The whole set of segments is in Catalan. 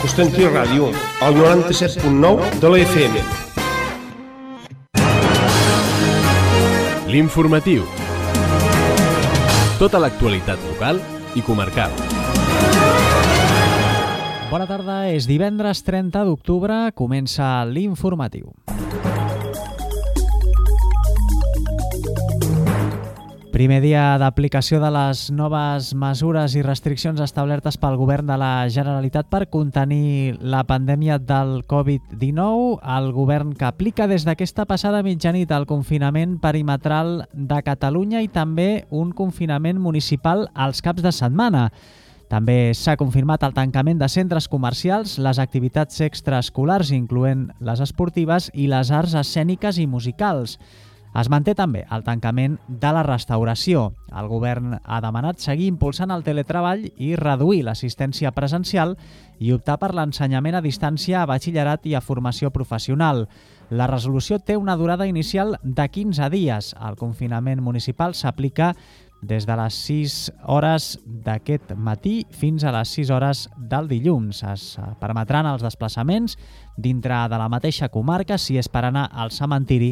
Constantí Ràdio, al 97.9 de la FM. L'informatiu. Tota l'actualitat local i comarcal. Bona tarda, és divendres 30 d'octubre, comença l'informatiu. Primer dia d'aplicació de les noves mesures i restriccions establertes pel Govern de la Generalitat per contenir la pandèmia del Covid-19. El Govern que aplica des d'aquesta passada mitjanit el confinament perimetral de Catalunya i també un confinament municipal als caps de setmana. També s'ha confirmat el tancament de centres comercials, les activitats extraescolars, incloent les esportives, i les arts escèniques i musicals. Es manté també el tancament de la restauració. El govern ha demanat seguir impulsant el teletreball i reduir l'assistència presencial i optar per l'ensenyament a distància a batxillerat i a formació professional. La resolució té una durada inicial de 15 dies. El confinament municipal s'aplica des de les 6 hores d'aquest matí fins a les 6 hores del dilluns. Es permetran els desplaçaments dintre de la mateixa comarca si és per anar al cementiri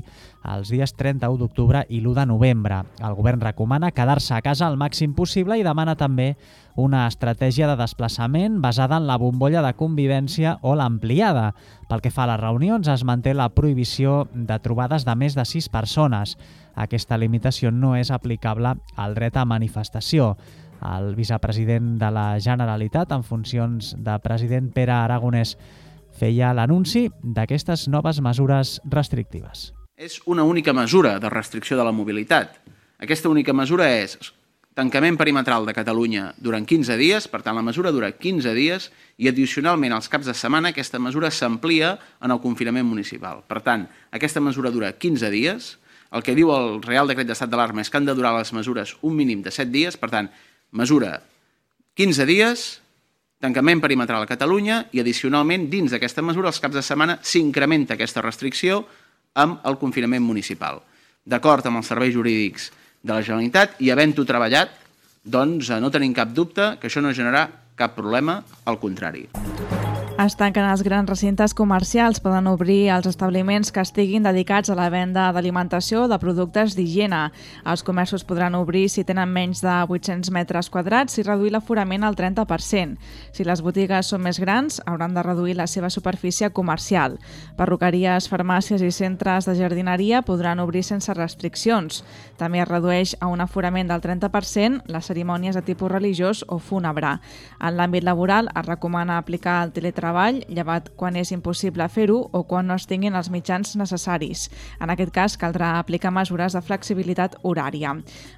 els dies 31 d'octubre i l'1 de novembre. El govern recomana quedar-se a casa el màxim possible i demana també una estratègia de desplaçament basada en la bombolla de convivència o l'ampliada. Pel que fa a les reunions, es manté la prohibició de trobades de més de 6 persones. Aquesta limitació no és aplicable al dret a manifestació. El vicepresident de la Generalitat, en funcions de president, Pere Aragonès, feia l'anunci d'aquestes noves mesures restrictives. És una única mesura de restricció de la mobilitat. Aquesta única mesura és tancament perimetral de Catalunya durant 15 dies, per tant la mesura dura 15 dies i addicionalment als caps de setmana aquesta mesura s'amplia en el confinament municipal. Per tant, aquesta mesura dura 15 dies. El que diu el Real Decret d'Estat d'Alarma és que han de durar les mesures un mínim de 7 dies, per tant, mesura 15 dies, tancament perimetral a Catalunya i addicionalment dins d'aquesta mesura els caps de setmana s'incrementa aquesta restricció amb el confinament municipal. D'acord amb els serveis jurídics de la Generalitat i havent-ho treballat, doncs no tenim cap dubte que això no generarà cap problema, al contrari. Es tanquen els grans recintes comercials, poden obrir els establiments que estiguin dedicats a la venda d'alimentació o de productes d'higiene. Els comerços podran obrir si tenen menys de 800 metres quadrats i reduir l'aforament al 30%. Si les botigues són més grans, hauran de reduir la seva superfície comercial. Perruqueries, farmàcies i centres de jardineria podran obrir sense restriccions. També es redueix a un aforament del 30% les cerimònies de tipus religiós o fúnebre. En l'àmbit laboral es recomana aplicar el teletreball, llevat quan és impossible fer-ho o quan no es tinguin els mitjans necessaris. En aquest cas, caldrà aplicar mesures de flexibilitat horària.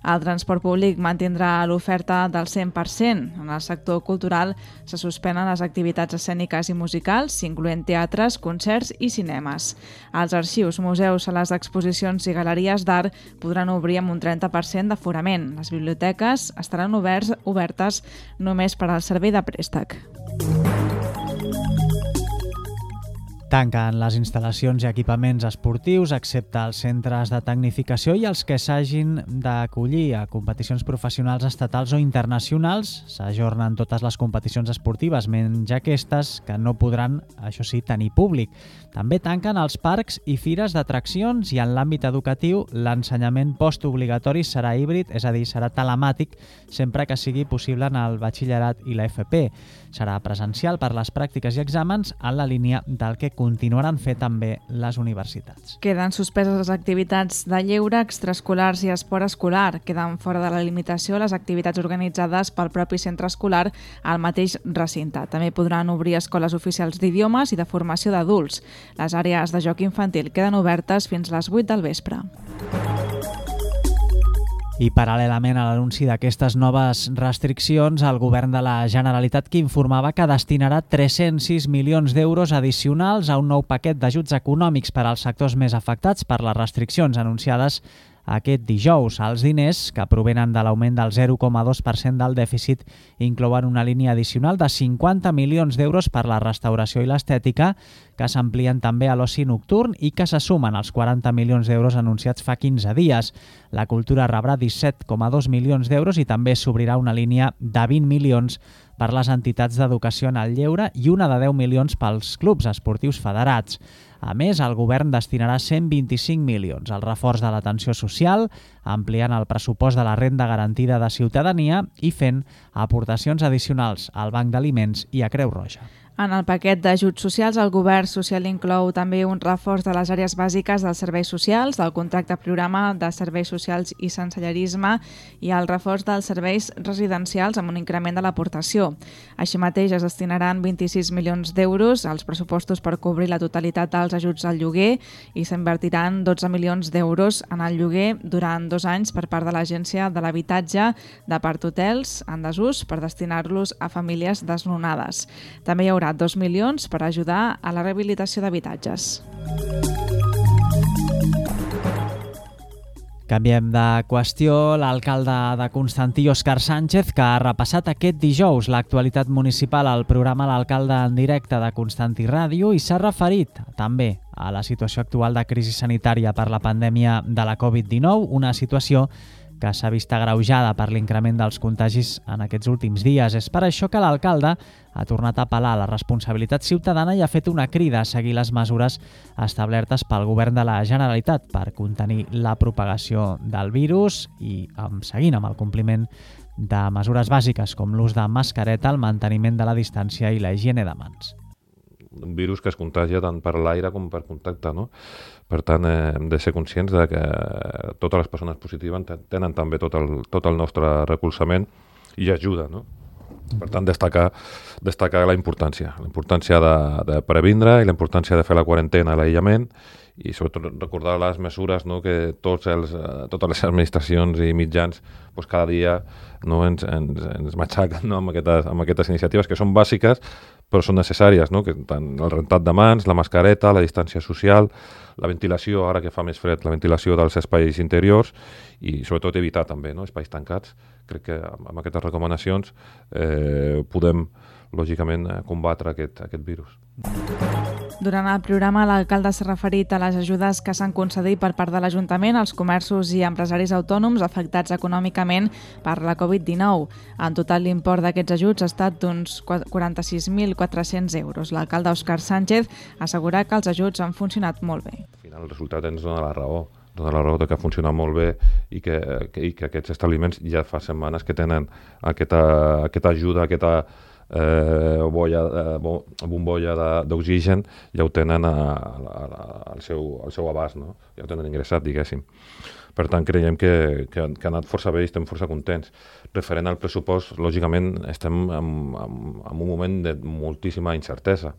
El transport públic mantindrà l'oferta del 100%. En el sector cultural se suspenen les activitats escèniques i musicals, incloent teatres, concerts i cinemes. Els arxius, museus, sales d'exposicions i galeries d'art podran obrir amb un 30% d'aforament. Les biblioteques estaran obertes només per al servei de préstec. Tanquen les instal·lacions i equipaments esportius, excepte els centres de tecnificació i els que s'hagin d'acollir a competicions professionals estatals o internacionals. S'ajornen totes les competicions esportives, menys aquestes que no podran, això sí, tenir públic. També tanquen els parcs i fires d'atraccions i en l'àmbit educatiu l'ensenyament postobligatori serà híbrid, és a dir, serà telemàtic, sempre que sigui possible en el batxillerat i la FP. Serà presencial per les pràctiques i exàmens en la línia del que continuaran fer també les universitats. Queden suspeses les activitats de lleure, extraescolars i esport escolar. Queden fora de la limitació les activitats organitzades pel propi centre escolar al mateix recinte. També podran obrir escoles oficials d'idiomes i de formació d'adults. Les àrees de joc infantil queden obertes fins a les 8 del vespre. I paral·lelament a l'anunci d'aquestes noves restriccions, el govern de la Generalitat que informava que destinarà 306 milions d'euros addicionals a un nou paquet d'ajuts econòmics per als sectors més afectats per les restriccions anunciades aquest dijous. Els diners, que provenen de l'augment del 0,2% del dèficit, inclouen una línia addicional de 50 milions d'euros per la restauració i l'estètica, que s'amplien també a l'oci nocturn i que se sumen als 40 milions d'euros anunciats fa 15 dies. La cultura rebrà 17,2 milions d'euros i també s'obrirà una línia de 20 milions per les entitats d'educació en el lleure i una de 10 milions pels clubs esportius federats. A més, el govern destinarà 125 milions al reforç de l'atenció social, ampliant el pressupost de la renda garantida de ciutadania i fent aportacions addicionals al Banc d'Aliments i a Creu Roja. En el paquet d'ajuts socials, el govern social inclou també un reforç de les àrees bàsiques dels serveis socials, del contracte programa de serveis socials i sensellarisme i el reforç dels serveis residencials amb un increment de l'aportació. Així mateix es destinaran 26 milions d'euros als pressupostos per cobrir la totalitat dels ajuts al lloguer i s'invertiran 12 milions d'euros en el lloguer durant 2 anys per part de l'Agència de l'Habitatge de part hotels en desús per destinar-los a famílies desnonades. També hi haurà 2 milions per ajudar a la rehabilitació d'habitatges. Canviem de qüestió. L'alcalde de Constantí, Òscar Sánchez, que ha repassat aquest dijous l'actualitat municipal al programa L'Alcalde en directe de Constantí Ràdio i s'ha referit també a la situació actual de crisi sanitària per la pandèmia de la Covid-19, una situació que s'ha vist agreujada per l'increment dels contagis en aquests últims dies. És per això que l'alcalde ha tornat a apel·lar a la responsabilitat ciutadana i ha fet una crida a seguir les mesures establertes pel govern de la Generalitat per contenir la propagació del virus i seguint amb el compliment de mesures bàsiques com l'ús de mascareta, el manteniment de la distància i la higiene de mans. Un virus que es contagia tant per l'aire com per contacte, no? Per tant, hem de ser conscients de que totes les persones positives tenen també tot el nostre recolzament i ajuda, no? Per tant, destacar la importància de previndre i la importància de fer la quarantena, l'aïllament i sobretot recordar les mesures, no? Que totes les administracions i mitjans cada dia ens matxaquen, no? amb aquestes iniciatives que són bàsiques però són necessàries, no? Que tant el rentat de mans, la mascareta, la distància social, la ventilació, ara que fa més fred, la ventilació dels espais interiors i sobretot evitar també, no? Espais tancats. Crec que amb aquestes recomanacions podem, lògicament, combatre aquest virus. Durant el programa, l'alcalde s'ha referit a les ajudes que s'han concedit per part de l'Ajuntament als comerços i empresaris autònoms afectats econòmicament per la Covid-19. En total, l'import d'aquests ajuts ha estat d'uns 46.400 euros. L'alcalde Òscar Sánchez assegura que els ajuts han funcionat molt bé. Al final, el resultat ens dona la raó de que ha funcionat molt bé i que aquests establiments ja fa setmanes que tenen aquesta ajuda, aquesta bombolla d'oxigen, ja ho tenen al seu abast, no? Ja ho tenen ingressat, diguéssim. Per tant, creiem que ha anat força bé i estem força contents. Referent al pressupost, lògicament, estem en un moment de moltíssima incertesa.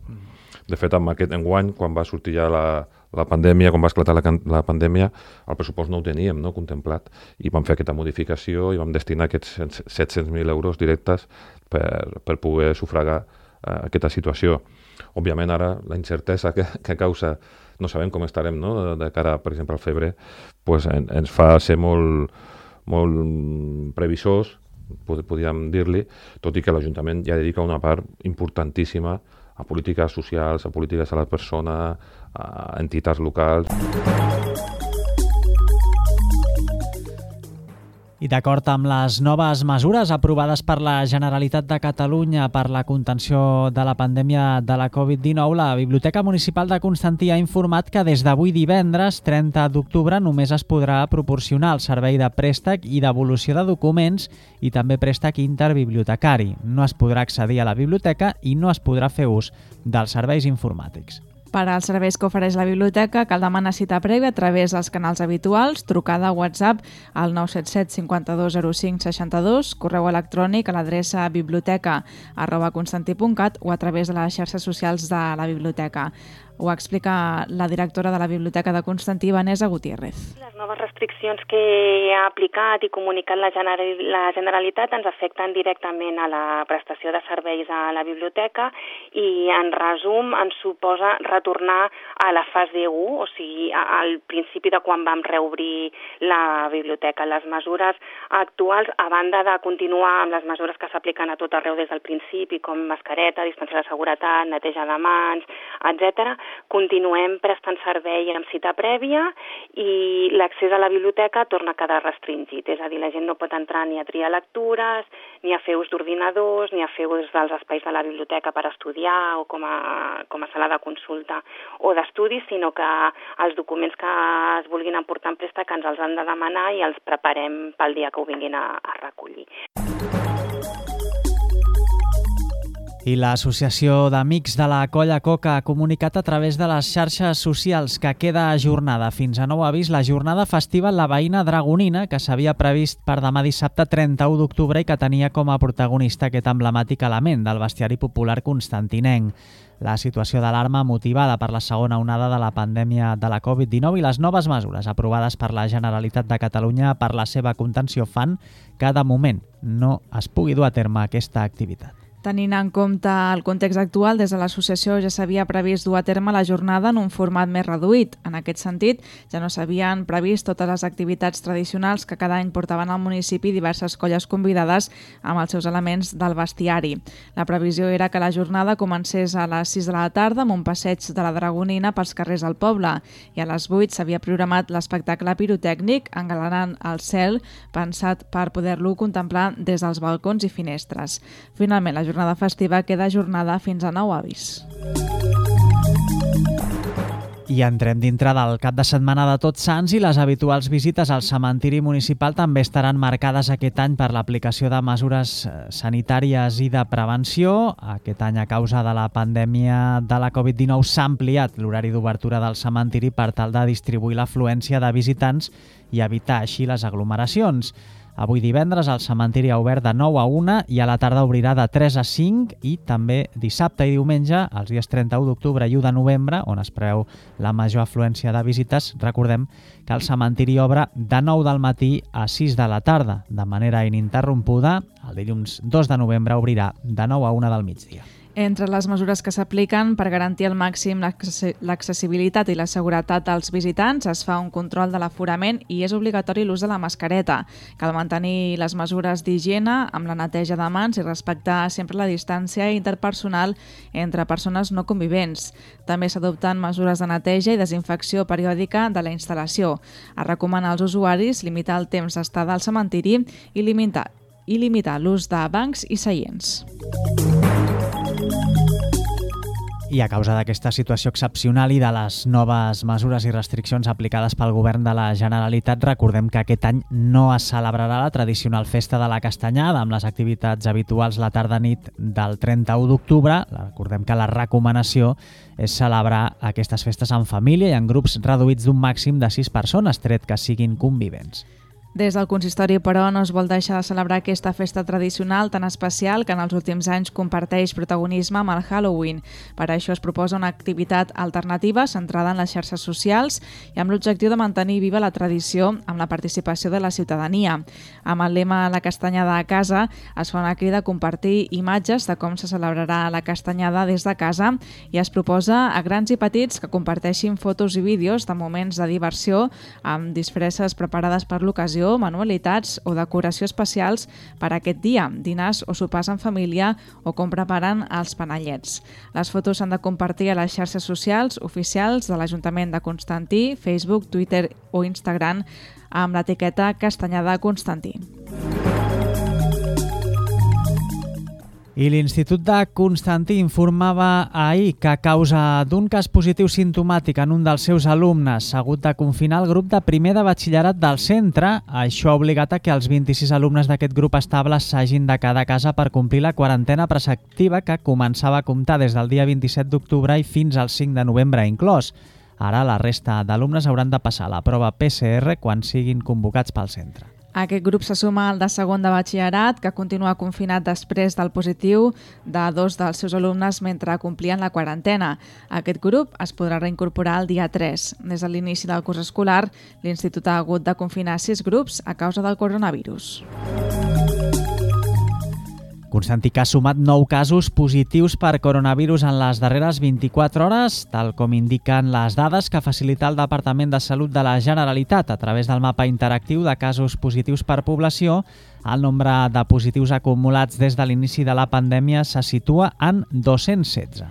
De fet, enguany, quan va sortir ja la pandèmia, quan va esclatar la pandèmia, el pressupost no ho teníem, no, contemplat, i vam fer aquesta modificació i vam destinar aquests 700.000 euros directes per poder sufragar aquesta situació. Òbviament, ara, la incertesa que causa, no sabem com estarem, no? De cara, per exemple, al febrer, pues, ens fa ser molt previsors, podríem dir-li, tot i que l'Ajuntament ja dedica una part importantíssima a polítiques socials, a polítiques a la persona, a entitats locals. I d'acord amb les noves mesures aprovades per la Generalitat de Catalunya per la contenció de la pandèmia de la Covid-19, la Biblioteca Municipal de Constantí ha informat que des d'avui divendres, 30 d'octubre, només es podrà proporcionar el servei de préstec i devolució de documents i també préstec interbibliotecari. No es podrà accedir a la biblioteca i no es podrà fer ús dels serveis informàtics. Per als serveis que ofereix la biblioteca cal demanar cita prèvia a través dels canals habituals, trucada a WhatsApp al 977 52 05 62, correu electrònic a l'adreça biblioteca@constantí.cat o a través de les xarxes socials de la biblioteca. Ho explica la directora de la Biblioteca de Constantí, Vanessa Gutiérrez. Les noves restriccions que ha aplicat i comunicat la Generalitat ens afecten directament a la prestació de serveis a la biblioteca i, en resum, ens suposa retornar a la fase 1, o sigui, al principi de quan vam reobrir la biblioteca. Les mesures actuals, a banda de continuar amb les mesures que s'apliquen a tot arreu des del principi, com mascareta, distància de seguretat, neteja de mans, etc., continuem prestant servei amb cita prèvia i l'accés a la biblioteca torna a quedar restringit. És a dir, la gent no pot entrar ni a triar lectures, ni a fer ús d'ordinadors, ni a fer ús dels espais de la biblioteca per estudiar o com a sala de consulta o d'estudi, sinó que els documents que es vulguin emportar en préstec ens els han de demanar i els preparem pel dia que ho vinguin a recollir. I l'Associació d'Amics de la Colla Coca ha comunicat a través de les xarxes socials que queda ajornada fins a nou avís la jornada festiva en la veïna Dragonina, que s'havia previst per demà dissabte 31 d'octubre i que tenia com a protagonista aquest emblemàtic element del bestiari popular constantinenc. La situació d'alarma motivada per la segona onada de la pandèmia de la Covid-19 i les noves mesures aprovades per la Generalitat de Catalunya per la seva contenció fan que de moment no es pugui dur a terme aquesta activitat. Tenint en compte el context actual, des de l'associació ja s'havia previst dur a terme la jornada en un format més reduït. En aquest sentit, ja no s'havien previst totes les activitats tradicionals que cada any portaven al municipi diverses colles convidades amb els seus elements del bestiari. La previsió era que la jornada comencés a les 6 de la tarda amb un passeig de la Dragonina pels carrers del poble i a les 8 s'havia programat l'espectacle pirotècnic engalanant el cel, pensat per poder-lo contemplar des dels balcons i finestres. Finalment, la jornada festiva queda ajornada fins a nou avís. I entrem dintre del cap de setmana de Tots Sants i les habituals visites al cementiri municipal també estaran marcades aquest any per l'aplicació de mesures sanitàries i de prevenció. Aquest any, a causa de la pandèmia de la Covid-19, s'ha ampliat l'horari d'obertura del cementiri per tal de distribuir l'afluència de visitants i evitar així les aglomeracions. Avui divendres el cementiri ha obert de 9 a 1 i a la tarda obrirà de 3 a 5 i també dissabte i diumenge, els dies 31 d'octubre i 1 de novembre, on es preveu la major afluència de visites. Recordem que el cementiri obre de 9 del matí a 6 de la tarda, de manera ininterrompuda. El dilluns 2 de novembre obrirà de 9 a 1 del migdia. Entre les mesures que s'apliquen per garantir al màxim l'accessibilitat i la seguretat dels visitants es fa un control de l'aforament i és obligatori l'ús de la mascareta. Cal mantenir les mesures d'higiene amb la neteja de mans i respectar sempre la distància interpersonal entre persones no convivents. També s'adopten mesures de neteja i desinfecció periòdica de la instal·lació. Es recomana als usuaris limitar el temps d'estada al cementiri i limitar l'ús de bancs i seients. I a causa d'aquesta situació excepcional i de les noves mesures i restriccions aplicades pel govern de la Generalitat, recordem que aquest any no es celebrarà la tradicional festa de la Castanyada amb les activitats habituals la tarda-nit del 31 d'octubre. Recordem que la recomanació és celebrar aquestes festes en família i en grups reduïts d'un màxim de 6 persones, tret que siguin convivents. Des del consistori, però, no es vol deixar de celebrar aquesta festa tradicional tan especial que en els últims anys comparteix protagonisme amb el Halloween. Per això es proposa una activitat alternativa centrada en les xarxes socials i amb l'objectiu de mantenir viva la tradició amb la participació de la ciutadania. Amb el lema La Castanyada a casa es fa una crida a compartir imatges de com se celebrarà la castanyada des de casa i es proposa a grans i petits que comparteixin fotos i vídeos de moments de diversió amb disfresses preparades per l'ocasió, manualitats o decoració especials per a aquest dia, dinars o sopars en família o com preparen els panellets. Les fotos s'han de compartir a les xarxes socials oficials de l'Ajuntament de Constantí, Facebook, Twitter o Instagram amb l'etiqueta Castanyada Constantí. I l'Institut de Constantí informava ahir que a causa d'un cas positiu simptomàtic en un dels seus alumnes s'ha hagut de confinar el grup de primer de batxillerat del centre. Això ha obligat a que els 26 alumnes d'aquest grup estable s'hagin de quedar a casa per complir la quarantena preceptiva que començava a comptar des del dia 27 d'octubre i fins al 5 de novembre inclòs. Ara la resta d'alumnes hauran de passar la prova PCR quan siguin convocats pel centre. Aquest grup se suma al de segon de batxillerat, que continua confinat després del positiu de 2 dels seus alumnes mentre complien la quarantena. Aquest grup es podrà reincorporar el dia 3. Des de l'inici del curs escolar, l'Institut ha hagut de confinar 6 grups a causa del coronavirus. Constantí que ha sumat 9 casos positius per coronavirus en les darreres 24 hores, tal com indiquen les dades que facilita el Departament de Salut de la Generalitat. A través del mapa interactiu de casos positius per població, el nombre de positius acumulats des de l'inici de la pandèmia se situa en 216.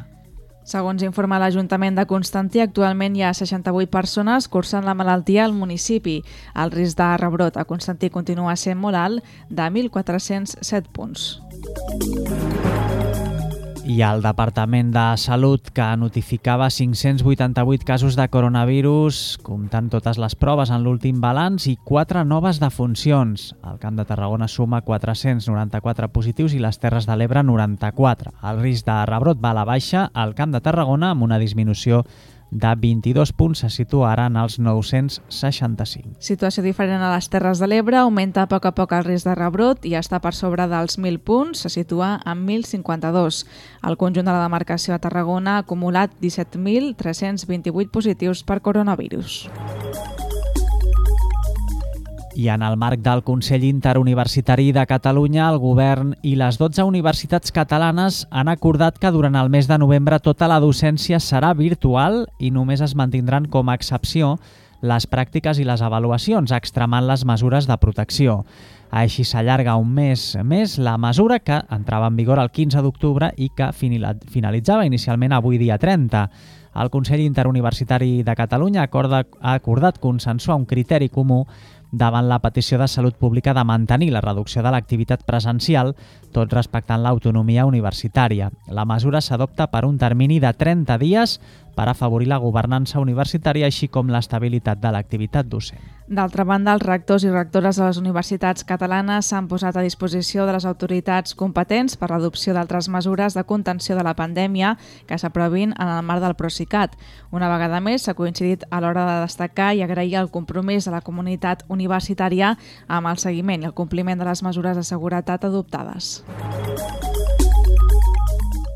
Segons informa l'Ajuntament de Constantí, actualment hi ha 68 persones cursant la malaltia al municipi. El risc de rebrot a Constantí continua sent molt alt, de 1.407 punts. I el Departament de Salut, que notificava 588 casos de coronavirus, comptant totes les proves en l'últim balanç, i 4 noves defuncions. El Camp de Tarragona suma 494 positius i les Terres de l'Ebre 94. El risc de rebrot va a la baixa al Camp de Tarragona amb una disminució de 22 punts, se situa ara en els 965. Situació diferent a les Terres de l'Ebre, augmenta a poc el risc de rebrot i està per sobre dels 1.000 punts, se situa en 1.052. El conjunt de la demarcació a Tarragona ha acumulat 17.328 positius per coronavirus. I en el marc del Consell Interuniversitari de Catalunya, el govern i les 12 universitats catalanes han acordat que durant el mes de novembre tota la docència serà virtual i només es mantindran com a excepció les pràctiques i les avaluacions, extremant les mesures de protecció. Així s'allarga un mes més la mesura que entrava en vigor el 15 d'octubre i que finalitzava inicialment avui dia 30. El Consell Interuniversitari de Catalunya ha acordat consensuar un criteri comú davant la petició de Salut Pública de mantenir la reducció de l'activitat presencial, tot respectant l'autonomia universitària. La mesura s'adopta per un termini de 30 dies per afavorir la governança universitària així com l'estabilitat de l'activitat docent. D'altra banda, els rectors i rectores de les universitats catalanes s'han posat a disposició de les autoritats competents per l'adopció d'altres mesures de contenció de la pandèmia que s'aprovin en el marc del Procicat. Una vegada més, s'ha coincidit a l'hora de destacar i agrair el compromís de la comunitat universitària amb el seguiment i el compliment de les mesures de seguretat adoptades.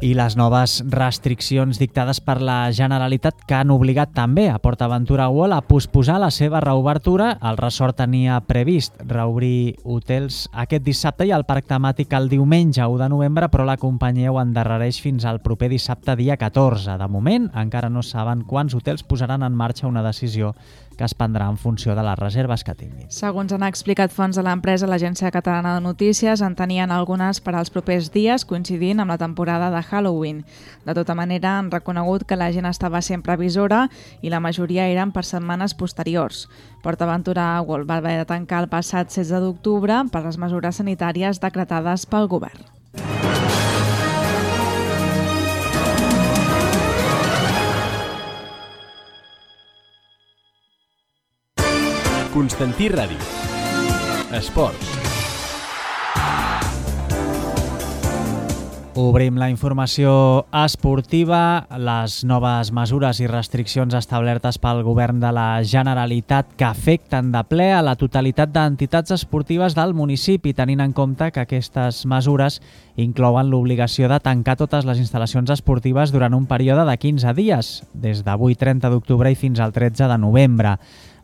I les noves restriccions dictades per la Generalitat que han obligat també a PortAventura World a posposar la seva reobertura. El resort tenia previst reobrir hotels aquest dissabte i el parc temàtic el diumenge 1 de novembre, però la companyia ho endarrereix fins al proper dissabte dia 14. De moment, encara no saben quants hotels posaran en marxa, una decisió que es prendrà en funció de les reserves que tinguin. Segons han explicat fonts de l'empresa, l'Agència Catalana de Notícies en tenien algunes per als propers dies, coincidint amb la temporada de Halloween. De tota manera, han reconegut que la gent estava sent previsora i la majoria eren per setmanes posteriors. PortAventura World va haver de tancar el passat 16 d'octubre per les mesures sanitàries decretades pel govern. Constantí Ràdio. Esports. Obrim la informació esportiva. Les noves mesures i restriccions establertes pel govern de la Generalitat que afecten de ple a la totalitat d'entitats esportives del municipi, tenint en compte que aquestes mesures inclouen l'obligació de tancar totes les instal·lacions esportives durant un període de 15 dies, des d'avui 30 d'octubre i fins al 13 de novembre.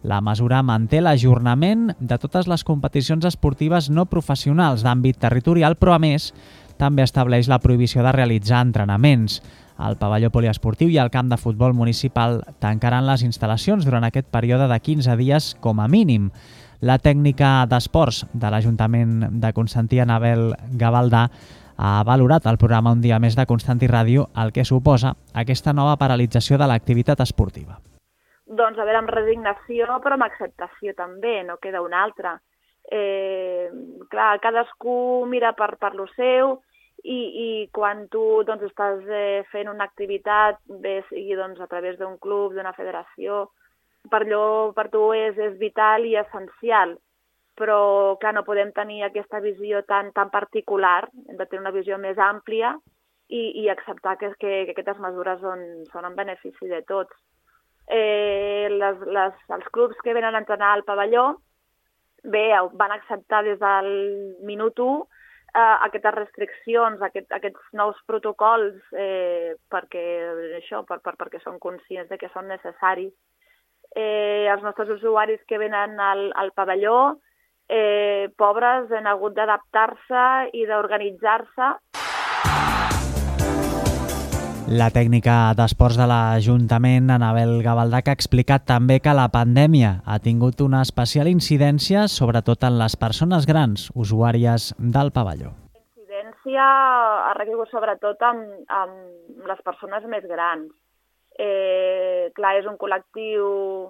La mesura manté l'ajornament de totes les competicions esportives no professionals d'àmbit territorial, però a més també estableix la prohibició de realitzar entrenaments. El pavelló poliesportiu i el camp de futbol municipal tancaran les instal·lacions durant aquest període de 15 dies com a mínim. La tècnica d'esports de l'Ajuntament de Constantí, Anabel Gavaldà, ha valorat al programa Un dia més de Constantí Ràdio el que suposa aquesta nova paralització de l'activitat esportiva. Doncs a veure, amb resignació, però amb acceptació també, no queda una altra. Clar, cadascú mira per lo seu i quan tu doncs, estàs fent una activitat, bé sigui doncs, a través d'un club, d'una federació, per tu és vital i essencial, però clar, no podem tenir aquesta visió tan particular, hem de tenir una visió més àmplia i acceptar que aquestes mesures són en benefici de tots. Els clubs que venen a entrenar al pavelló van acceptar des del minut 1 aquestes restriccions, aquests nous protocols perquè són conscients de que són necessaris. Els nostres usuaris que venen al pavelló, pobres, han hagut d'adaptar-se i d'organitzar-se. La tècnica d'esports de l'Ajuntament, Anabel Gavaldà, ha explicat també que la pandèmia ha tingut una especial incidència, sobretot en les persones grans, usuàries del pavelló. Incidència gràcia ha recaigut sobretot amb les persones més grans. Clar, és un col·lectiu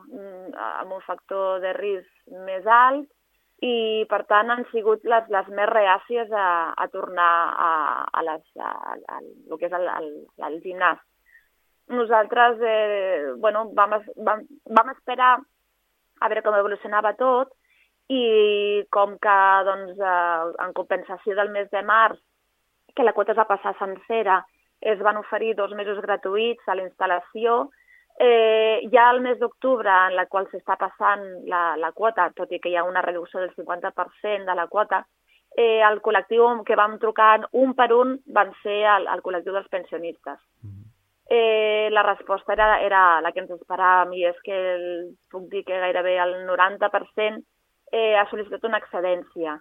amb un factor de risc més alt i, per tant, han sigut les més reàcies a tornar a el que és el gimnàs. Nosaltres vam esperar a veure com evolucionava tot i com que en compensació del mes de març, que la quota es va passar sencera, es van oferir 2 mesos gratuïts a la instal·lació. Ja al mes d'octubre, en la qual s'està passant la quota, tot i que hi ha una reducció del 50% de la quota, el col·lectiu que vam trucar un per un van ser el col·lectiu dels pensionistes. La resposta era la que ens esperàvem i és que puc dir que gairebé el 90% ha sol·licitat una excedència,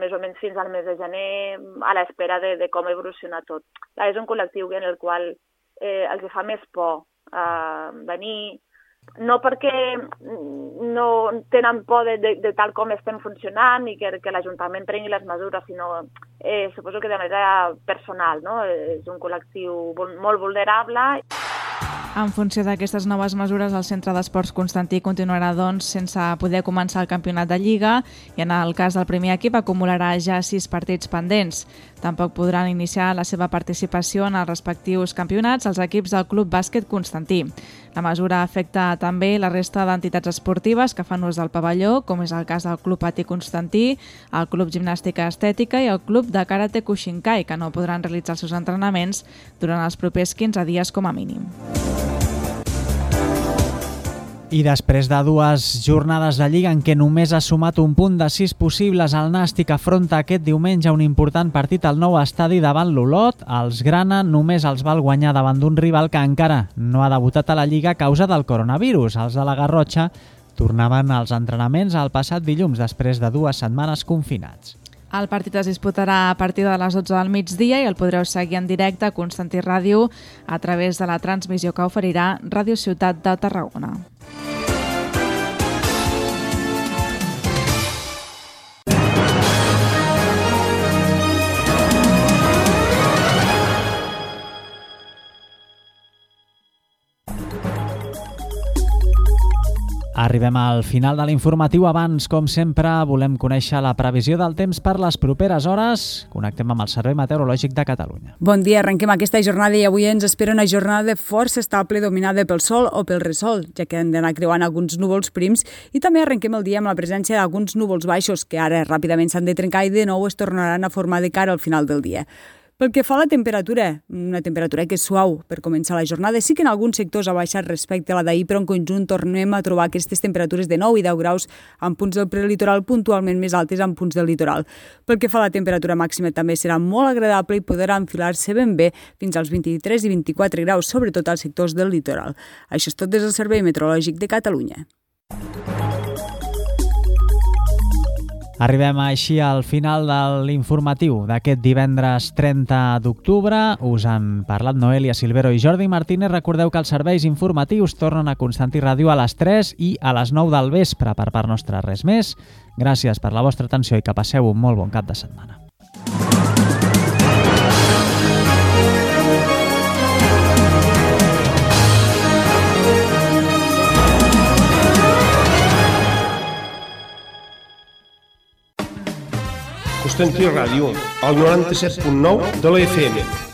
més o menys fins al mes de gener, a l'espera de com evoluciona tot. És un col·lectiu en el qual els fa més por venir, no perquè no tenen por de tal com estem funcionant i que l'Ajuntament prengui les mesures, sinó suposo que de manera personal, no? És un col·lectiu molt vulnerable. En funció d'aquestes noves mesures, el Centre d'Esports Constantí continuarà, doncs, sense poder començar el campionat de Lliga i en el cas del primer equip acumularà ja 6 partits pendents. Tampoc podran iniciar la seva participació en els respectius campionats els equips del Club Bàsquet Constantí. La mesura afecta també la resta d'entitats esportives que fan ús del pavelló, com és el cas del Club Patí Constantí, el Club Gimnàstica Estètica i el Club de Karate Kushinkai, que no podran realitzar els seus entrenaments durant els propers 15 dies com a mínim. I després de 2 jornades de Lliga en què només ha sumat un punt de 6 possibles, el Nàstic afronta aquest diumenge un important partit al nou estadi davant l'Olot. Els grana només els val guanyar davant d'un rival que encara no ha debutat a la Lliga a causa del coronavirus. Els de la Garrotxa tornaven als entrenaments el passat dilluns després de 2 setmanes confinats. El partit es disputarà a partir de les 12 del migdia i el podreu seguir en directe a Constantí Ràdio a través de la transmissió que oferirà Ràdio Ciutat de Tarragona. Arribem al final de l'informatiu. Abans, com sempre, volem conèixer la previsió del temps per les properes hores. Connectem amb el Servei Meteorològic de Catalunya. Bon dia, arrenquem aquesta jornada i avui ens espera una jornada força estable dominada pel sol o pel resol, ja que hem d'anar creuant alguns núvols prims i també arrenquem el dia amb la presència d'alguns núvols baixos que ara ràpidament s'han de trencar i de nou es tornaran a formar de cara al final del dia. Pel que fa a la temperatura, una temperatura que és suau per començar la jornada, sí que en alguns sectors ha baixat respecte a la d'ahir, però en conjunt tornem a trobar aquestes temperatures de 9 i 10 graus en punts del prelitoral, puntualment més altes en punts del litoral. Pel que fa a la temperatura màxima també serà molt agradable i podrà enfilar-se ben bé fins als 23 i 24 graus, sobretot als sectors del litoral. Això és tot des del Servei Meteorològic de Catalunya. Arribem així al final de l'informatiu d'aquest divendres 30 d'octubre. Us han parlat Noelia Silvero i Jordi Martínez. Recordeu que els serveis informatius tornen a Constantí Ràdio a les 3 i a les 9 del vespre. Per part nostra, res més. Gràcies per la vostra atenció i que passeu un molt bon cap de setmana. Constantí Ràdio, al 97.9 de la FM.